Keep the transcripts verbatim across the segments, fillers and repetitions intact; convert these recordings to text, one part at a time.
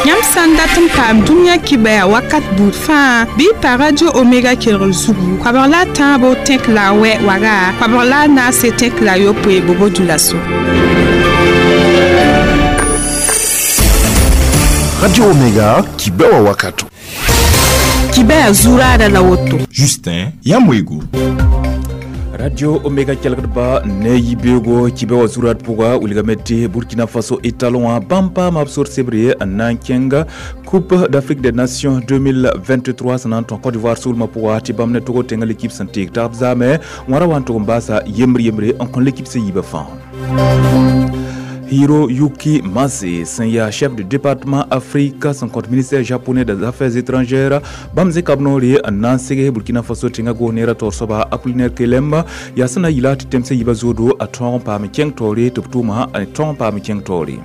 Yãmb sã n dat n paam dũniyã kibɛa wakat buud fãa bɩ y pa Radio Omega kelgr zugu koabg la a tãabo tẽk la a wɛ waga koabg la a naase tẽk la a yopoe bobo dulaso. Radio Omega kibɛwa wakato. Kibɛa zuraada la woto. Justin Yamwego. Radio Omega kelgdba ne yibego kibe wa zurat pʋga wilgame tɩ Burkina Faso étalon wã bãmb paama b sor sebre n na n kẽnga Coupe d'Afrique des Nations deux mille vingt-trois sẽn na n tõe Côte d'Ivoire soolmã pʋga tɩ bãmb ne togo tẽngã l'équipe sẽn teeg tag b zaame wãra wa n tʋg n baasa yembre yembre n kõ l'équipe sẽn yiibã fãa. Hiroyuki Mase, sẽn yaa chef de département Afrique sẽn kõt ministère japonais des Affaires étrangères, bãmb zẽka b noore n na n seg Burkina Faso tẽngã goneera taoor soaba Apollinaire Kelem yaa sẽn na n yɩla tɩ tẽmsã yiibã zoodo a tõog n paam kẽng taoore tɩ b tʋʋma a tõog n paam kẽng taoore.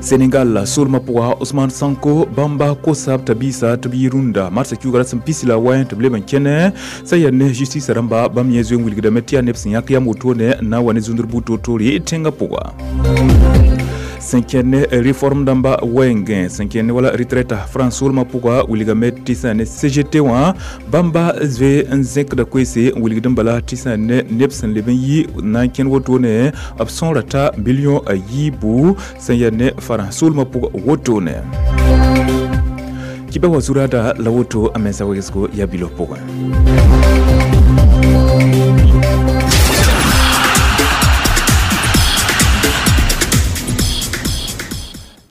Senegal soolmã pʋga Ousmane Sonko bãmba kosa b tabiisa tɩ b yi rũndã marsã kiuuga ra sẽn pisi la wɛ tɩ b leb n kẽne sã yaa ne justice rãmba bãmb yẽ zoe n wilgdame tɩ yaa neb sẽn yãk yam wotone n na n wa ne zũndr buud toor-toore tẽngã pʋga. Sẽn kẽnd réforme dãmba wɛɛngẽ sẽn kẽnd wala retraite France soolmã pʋga wilgame tɩ sã ne C G T wã bãmba zoe n zẽkda koeese n wilgd n bala tɩ sã ne neb sẽn leb n yi na n kẽnd wotone b sõora ta billion a yiibu sẽn yaa ne France soolmã pʋga wotone. Kibã wa zuraada la woto a mensa wegsgo yaa bilo pʋgẽ.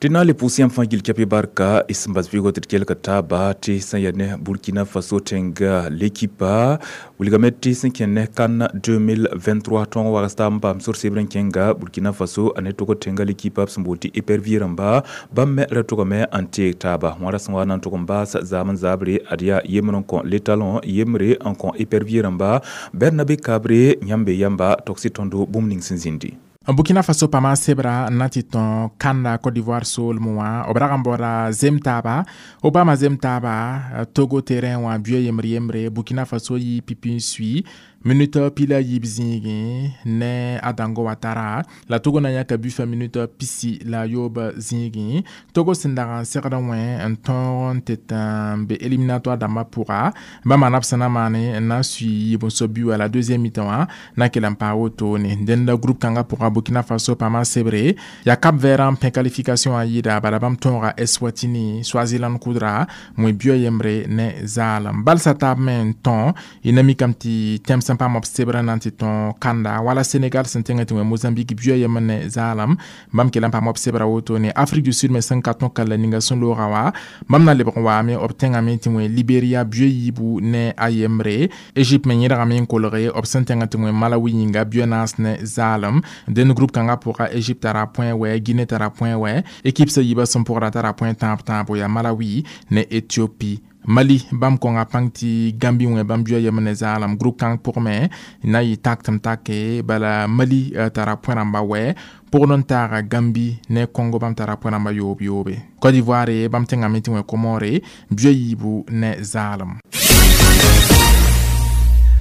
Tɩ na n le pʋʋs yãmb fãa gil kɛpɩ barka y sẽn bas vɩɩgɔ tɩ d kelg taaba tɩ sẽn yaa ne Burkina Faso tẽnga l'équipe wilgame tɩ sẽn kẽnd ne CAN deux mille vingt-trois tõog wags taab n paam sor sebr n kẽnga Burkina Faso a ne tog tẽnga l'équipe b sẽn boond tɩ Épervier rãmba bãmb me ra togame n teeg taaba wãra sẽn wa na n tʋg n baas zaam n zaabre ad yaa yembr n kõ l'étalon yembre n kõ Épervier rãmba Bernabe Kabre yãmb be yãmba togsɩ tõndo bũmb ning sẽn zĩndi. Burkina Faso paama sebra n na tɩ tõ kanda Côte d'Ivoire soolmẽ wã b rag n baooda zem taaba b paama zem taaba Togo terrain wã buɛ yembre yembre Burkina Faso yɩ pipi n sui minute pila yiib zĩigẽ ne a dãngo Watara la Togo na yãka bufa minute pisi la yoob zĩigẽ. Togo sẽn dag n segd wẽ n tõog n tɩ n be éliminatoire dãmbã pʋga bãmba na b sẽn na maane n na n sui yiib n sob bi wa la deuxième mi-temps wã na kell n paa wotone. Dẽnda groupe kãngã pʋga Burkina Faso paama sebre yaa Cap Vert n pẽ qualification a yɩɩda bala bãmb tõoga Eswatini Swaziland kʋdra wẽ buɛ yembre ne zaalem balsa taab me n tõ y na mikame tɩ tẽm sẽn paam b sebra na n tɩ tõ kanda wala Sénégal sẽn tẽngã tɩ wẽ Mozambique buɛ yembr ne zaalem bãmb kell n paam b sebra wotone. Afrique du Sud me sẽn ka tõ kalla ninga sẽn looga wa bãmb na lebg n waame b tẽngame tɩ wẽ Libéria buɛ yiibu ne a yembre. Égypte me yẽdgame n kolge b sẽn tẽngã tɩ wẽ Malawi yĩnga buɛ naas ne zaalem. Dẽnd groupe kãngã pʋga Égypte tara point wɛ Guinée tara point wɛ équipe sã yiibã sẽn pʋgra tara point tãab tãabo yaa Malawi ne Éthiopie. Mali bãmb kõnga pãng tɩ Gambi wẽ bãmb buɛ yembr ne zaalem. Groupe kãng pʋgme na yɩ tak tɩ m take bala Mali tara point rãmba wɛ pʋgd n taaga Gambi ne Congo bãmb tara point rãmba yoob yoobe. Côte d'Ivoire bãmb tẽngame tɩ wẽ Comore buɛ yiibu ne zaalem.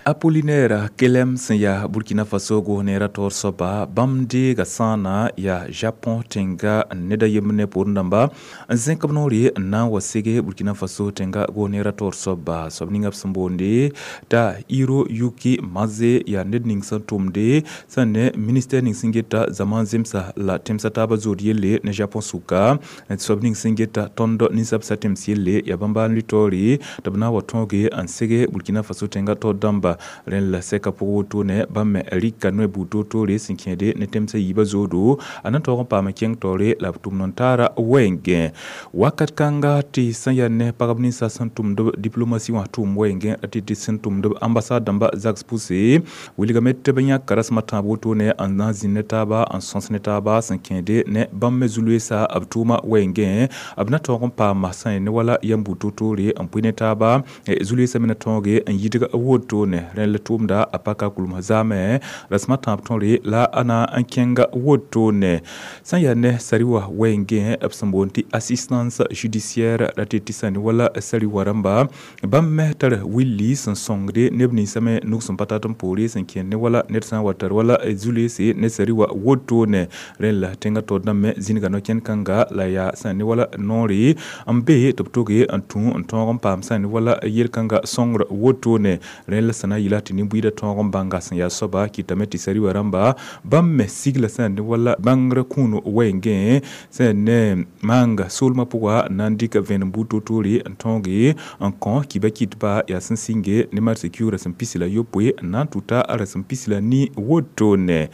Apollinaire Kelem sẽn yaa Burkina Faso goneera taoor soaba bãmb deega sãana yaa Japon tẽnga ned a yembr ne poorẽ dãmba n zẽk b noore n na n wa sege Burkina Faso tẽnga goneera taoor soaba soab ninga b sẽn boonde t'a Hiroyuki Maze yaa ned ning sẽn tʋmde sẽn ne ministère ning sẽn geta zaman zemsa la tẽmsã taabã zood yelle ne Japon sʋka soab ning sẽn geta tõnd ninsab sa tẽms yelle yaa bãmba n lʋ taoore tɩ b na n wa tõoge n sege Burkina Faso tẽnga taoor dãmba. Rẽnd la sɛka pʋg wotone bãmb me rɩka noe buud toor-toore sẽn kẽede ne tẽmsã yiibã zoodo a na taoog n paam n kẽng taoore la b tʋmd n taara wɛɛngẽ wakat kãnga tɩ sẽn yaa ne pagb ninsã sẽn tʋmd diplomatie wã tʋʋm wɛɛngẽ tɩ tɩ sẽn tʋmd ambassade dãmba zags pʋse wilgame tɩ b yãk rasem a tãab wotone n na n zĩnd ne taaba n sõs ne taaba sẽn kẽede ne bãmb me zu-loeesa b tʋʋma wɛɛngẽ b na taoog n paama sã ne wala yam buud toor-toore n pʋɩ ne taaba zu-loeesã me na tõoge n yidg wotone. Rẽnd la tʋʋmda a paka kulmsã zaame rasmã tãab tõre la a na n kẽnga wotone sã n yaa ne sari-wã wɛɛngẽ b sẽn boond tɩ assistance judiciaire ra tɩ tɩ sã ne wala sari-wã rãmba bãmb me tar willi sẽn sõngde neb ninsã me nug sẽn pa tat n poore sẽn kẽnd ne wala ned sã n wa tar wala zu-leese ne sari-wã wotone rẽnd la tẽngã taoor dãmb me zĩnga no-kẽnd-kãnga la yaa sã n ne wala noore n be tɩ b toge n tũ n tõog n paam sã n ne wala yel-kãnga sõngr wotone rẽnd la sẽn na n yɩla tɩ nin-buiidã tõog n bãnga sẽn yaa soaba kɩtame tɩ sari-wã rãmba bãmb me sigla sã n ne wala bãngr kũun wɛɛngẽ sã n ne maanga soolmã pʋga n na n dɩk vẽenem buud toor-toore n tõoge n kõ kiba kɩtba yaa sẽn sɩnge ne marsã kiuug rasem pisi la yopoe n na n tʋta a rasem pisi la ni wotone.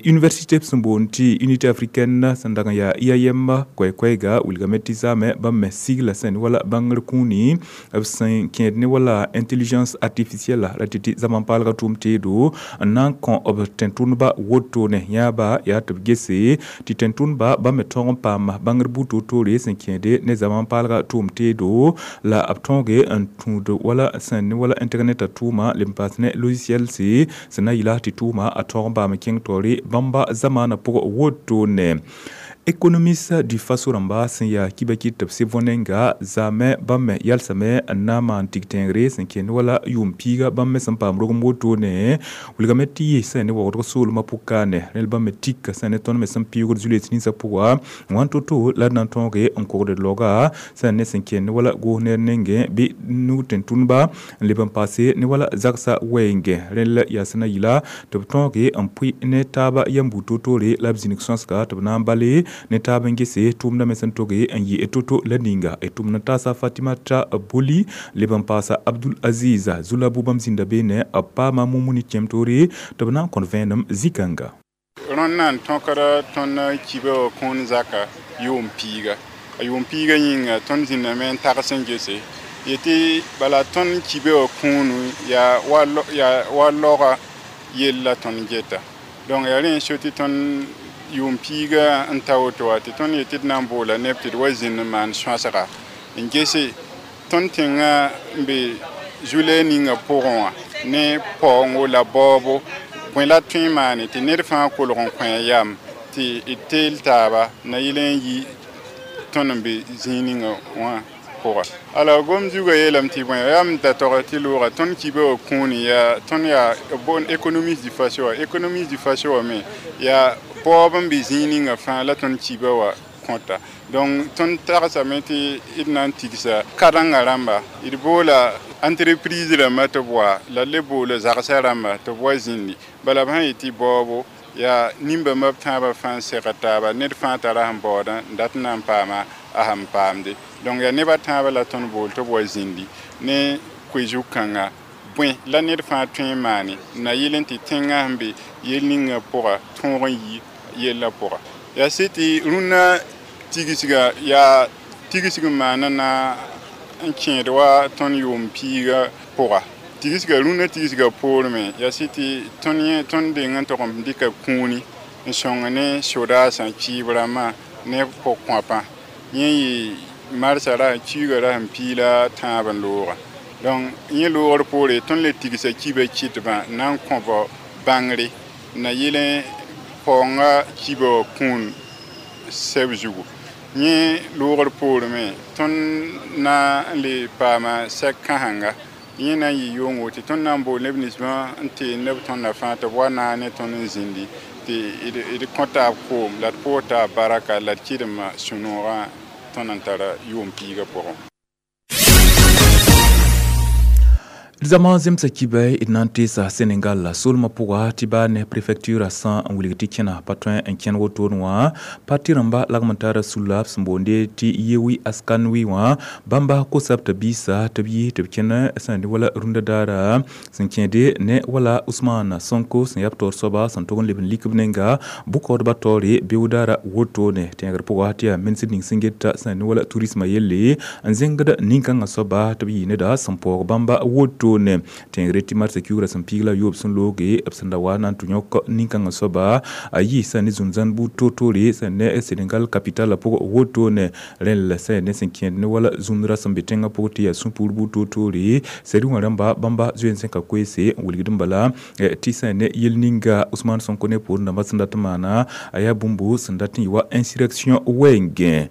Université sẽn boond tɩ unité africaine sẽn dag n yaa I A M koɛɛ-koɛɛga wilgame tɩ zaame bãmb me sigla sẽn ne wala bãngr kũuni b sẽn kẽed ne wala intelligence artificielle ra tɩ tɩ zaman paalga tʋʋm teedo n na n kõ b tẽn-tʋndba wotone yãaba yaa tɩ b gese tɩ tẽn-tʋndba bãmb me tõog n paam bãngr buud toor-toore sẽn kẽede ne zaman paalga tʋʋm teedo la b tõoge n tũud wala sẽn ne wala internet a tʋʋma leb n paas ne logiciel se sẽn na n yɩla tɩ tʋʋma a tõog n baam kẽng taoore bãmba zamaana pʋgẽ wotone. Économiste du Faso rãmba sẽn yaa kiba kɩt tɩ b sɩb nenga zaame bãmb me yalsame n na n maan tig-tẽegre sẽn kẽnd wala yʋʋm piiga bãmb me sẽn paam rogem wotone wilgame tɩ yɩ sẽn ne waoodg soolmã pʋkaane rẽnd bãmb me tika sẽn ne tõnd me sẽn piʋʋgd zu-lees ninsã pʋga wã to-to la d na n tõoge n kogd laoga sẽn ne sẽn kẽnd wala goos ner nengẽ bɩ nug tẽn-tʋndba n leb n paase ne wala zagsã wɛɛngẽ rẽnd la yaa sẽn na yɩla tɩ b tõoge n pʋɩ ne taaba yam buud toor-toore la b zĩnig sõsga tɩ b na n bale ne taab n gese tʋʋmdã me sẽn toge n yɩ to-to la ninga d tʋmd n taasa Fatimata Boli leb n paasa Abdul Aziz Zulabu bãmb zĩnda beene b paama Mumuni kẽem-toore tɩ b na n kõt vẽenem zĩ-kãnga. Rõnd na n tõkda tõnd kiba wã kũun zaka yʋʋm piiga a yʋʋm piiga yĩnga tõnd zĩndame n tags n gese yetɩ bala tõnd kiba wã kũunu yaa wa laoga yell la tõnd geta donc yaa rẽ n so tɩ tõnd yʋʋm piiga n ta woto wã tɩ tõnd yetɩ d na n boola neb tɩ d wa zĩnd n maan sõasga n gese tõnd tẽngã n be zu-lɛɛg ninga pʋgẽ wã ne paoongo la baoobo bõe la tõe n maane tɩ ned fãa kolg n kõ a yam tɩ d teel taaba na yɩl n yi tõnd n be zĩig ninga wã pʋga alors gom zugã yeelame tɩ bõe yaa m da tog tɩ looga tõnd kiba wã kũuni yaa tõnd yaa bon économiste du Faso wã économiste du Faso wã me yaa baoob n be zĩig ninga fãa la tõnd kiba wã kõta donc tõnd tagsame tɩ d na n tigsa karengã rãmba d boola entreprise rãmba tɩ b wa la le boola zagsã rãmba tɩ b wa zĩndi bala b sã yetɩ baoobo yaa nin-bãmba b tãabã fãa n segd taaba ned fãa tara sẽn baoodã n dat n na n paama a sẽn paamde donc yaa neb a tãabã la tõnd bool tɩ b wa zĩndi ne koe-zug-kãnga bõe la ned fãa tõe n maane na yɩl n tɩ tẽngã sẽn be yel ninga pʋga tõog n yi yellã pʋga yaa sɩ tɩ rũnnã tigsga yaa tigsg n maana na n kẽed wa tõnd yʋʋm piiga pʋga tigsga rũnnã tigsga poor me yaa sɩ tɩ tõnd yẽ tõnd deng n tog n dɩka kũuni n sõng ne sodaasã kiib rãmbã ne pʋg-kõapã yẽ yɩ marsã ra kiuugã ra sẽn piila tãab n looga donc yẽ loogr poore tõnd le tigsa kiba kɩtbã n na n kõba bãngre na yɩl n paoongã kiba wã kũun sɛb zugu yẽ loogr poore me tõnd na n le paama sɛk kãsenga yẽ na n yɩ yʋngo tɩ tõnd na n bool neb ninsbã n tee neb tõndã fãa tɩ b wa naag ne tõnd n zĩndi tɩ d kõ taab koom la d pʋʋs taab baraka la d kɩdemã sũ-noogã tõnd n tara yʋʋm piigã pʋgẽ. Zama zemsa kiba d na n teesa Senegal soolmã pʋga tɩ baa ne préfecture sã n wilg tɩ kẽna pa tõe n kẽn wotone wã parti rãmba lagm n tara sulla b sẽn boonde tɩ Yewwi Askan Wi wã bãmba kosa b tɩ biisa tɩ b yi tɩ b kẽn sẽn ne wala rũndã daara sẽn kẽede ne wala Ousmane Sonko sẽn yaa b taoor soaba sẽn tog n leb n lik b nenga bʋkaoodbã taoore beoog-daara wotone tẽegr pʋga tɩ yaa ministr ning sẽn geta sẽn ne wala tourisme yelle n zẽngd nin-kãngã soaba tɩ b yɩ neda sẽn paoog bãmba wotone. wotone tẽngre tɩ marsã kiugrã sẽn piig la yoob sẽn looge b sẽn da wa na n tɩ yõk nin-kãngã soaba a yɩ sã ne zũn-zãn buud toor-toore sẽn ne Senegal capital la pʋg wotone rẽnd la sã ne sẽn kẽed ne wala zũmdrã sẽn be tẽngã pʋg tɩ yaa sũ-puur buud toor-toore sɛd wã rãmba bãmba zoeensẽ ka koeese n wilgd n bala tɩ sã ne yel ninga Ousmane Sonko ne poorẽ dãmbã sẽn dat n maana a yaa bũmb sẽn dat n yɩ wa insurrection wɛɛngẽ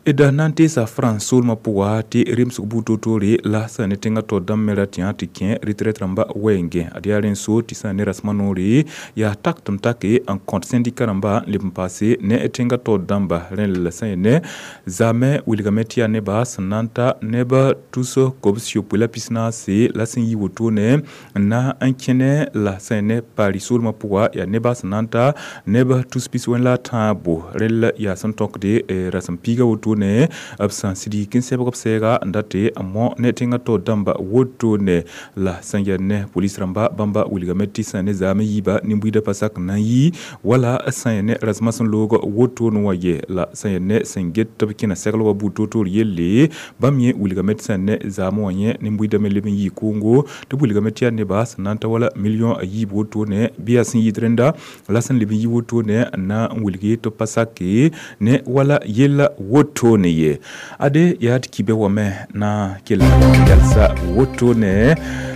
d na n teesa France soolmã pʋga tɩ remsg buud toor-toore la sã ne tẽngã taoor dãmb me ra tɩ tɩ kẽ retraite rãmba wɛɛngẽ ad yaa rẽn so tɩ sã ne rasmã noore yaa tak tɩ m take n kõt syndicat rãmba n leb n paase ne tẽngã taoor dãmba rẽnd la sã ne zaamẽ wilgame tɩ yaa neba sẽn na n ta neb tus kobs yopoe la pis-naase la sẽn yi wotone n na n kẽne la sã ne Paris soolmã pʋga yaa neba sẽn na n ta neb tus pis-wẽn la a tãabo rẽnd la yaa sẽn tõkde rasem piiga wotone b sẽn sidi n sɛbg b sɛɛga n dat n mõ ne tẽngã taoor dãmba wotone la sẽn yaa ne polis rãmba bãmba wilgame tɩ sã ne zaam yiiba nin-buiidã pa sak n na n yi wala sã yaa ne rasmã sẽn loog wotone wã ye la sã yaa ne sẽn get tɩ b kẽna seglgã buud toor-toor yelle bãmb yẽ wilgame tɩ sã ne zaam wã yẽ nin-buiidã me leb n yɩ koongo tɩ b wilgame tɩ yaa neba sẽn na n ta wala million a yiib wotone bɩ yaa sẽn yɩɩd rẽnda la sẽn leb n yi wotone n na n wilge tɩ b pa sake ne wala yella wotone ye ade yaa tɩ kibe wame na kell yalsa wotone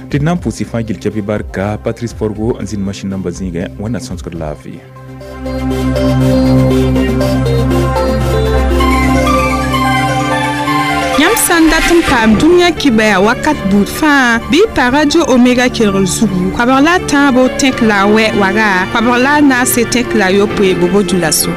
tɩ d na n pʋʋs y fãa gil kɛpɩ barka Patrice Forgo n zĩnd masĩn namba zĩigẽ wẽnna sõsgd laafɩ. Yãmb sã n dat n paam dũniyã kibaya wakat buud fãa bɩ y pa Radio Omega kelgr zugu koabg la a tãabo tẽk la a wɛ waga koabg la a naase tẽk la a yopoe bobo dũlaso.